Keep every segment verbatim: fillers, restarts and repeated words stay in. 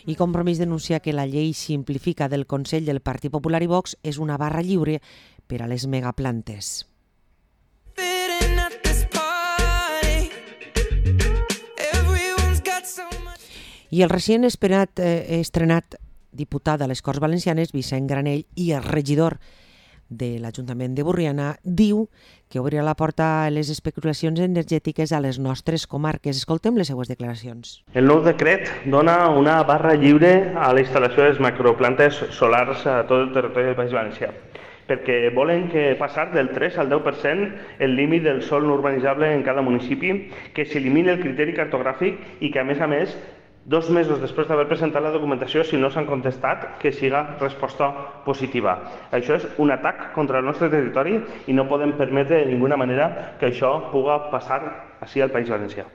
I Compromís denuncia que la llei simplifica del Consell del Partit Popular i Vox és una barra lliure per a les megaplantes. I el recient esperat, eh, estrenat diputat a les Corts Valencianes, Vicent Granell, i el regidor de l'Ajuntament de Borriana, diu que obrirà la porta a les especulacions energètiques a les nostres comarques. Escoltem les seues declaracions. El nou decret dona una barra lliure a la instal·lació de les macroplantes solars a tot el territori del País Valencià, perquè volen que passar del tres al deu per cent el límit del sòl no urbanitzable en cada municipi, que s'elimini el criteri cartogràfic i que, a més a més, dos mesos després d'haver presentat la documentació, si no s'han contestat, que siga resposta positiva. Això és un atac contra el nostre territori i no podem permetre de ninguna manera que això pugui passar així al País Valencià.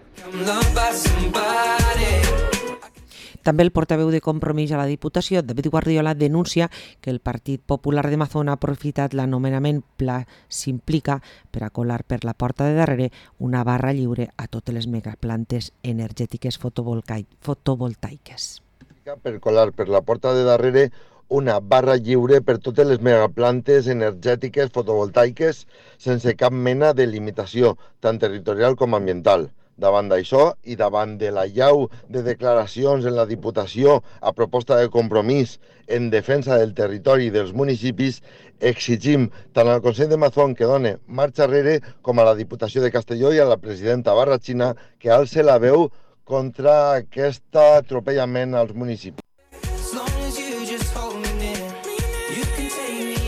També el portaveu de Compromís a la Diputació, David Guardiola, denuncia que el Partit Popular de Mazón ha aprofitat l'anomenament Pla Simplica per a colar per la porta de darrere una barra lliure a totes les megaplantes energètiques fotovoltaiques. Per colar per la porta de darrere una barra lliure per totes les megaplantes energètiques fotovoltaiques sense cap mena de limitació, tant territorial com ambiental. Davant d'això i davant de la llau de declaracions en la Diputació a proposta de Compromís en defensa del territori i dels municipis, exigim tant al Consell de Mazón que done marxa enrere com a la Diputació de Castelló i a la presidenta Barrachina que alce la veu contra aquest atropellament als municipis.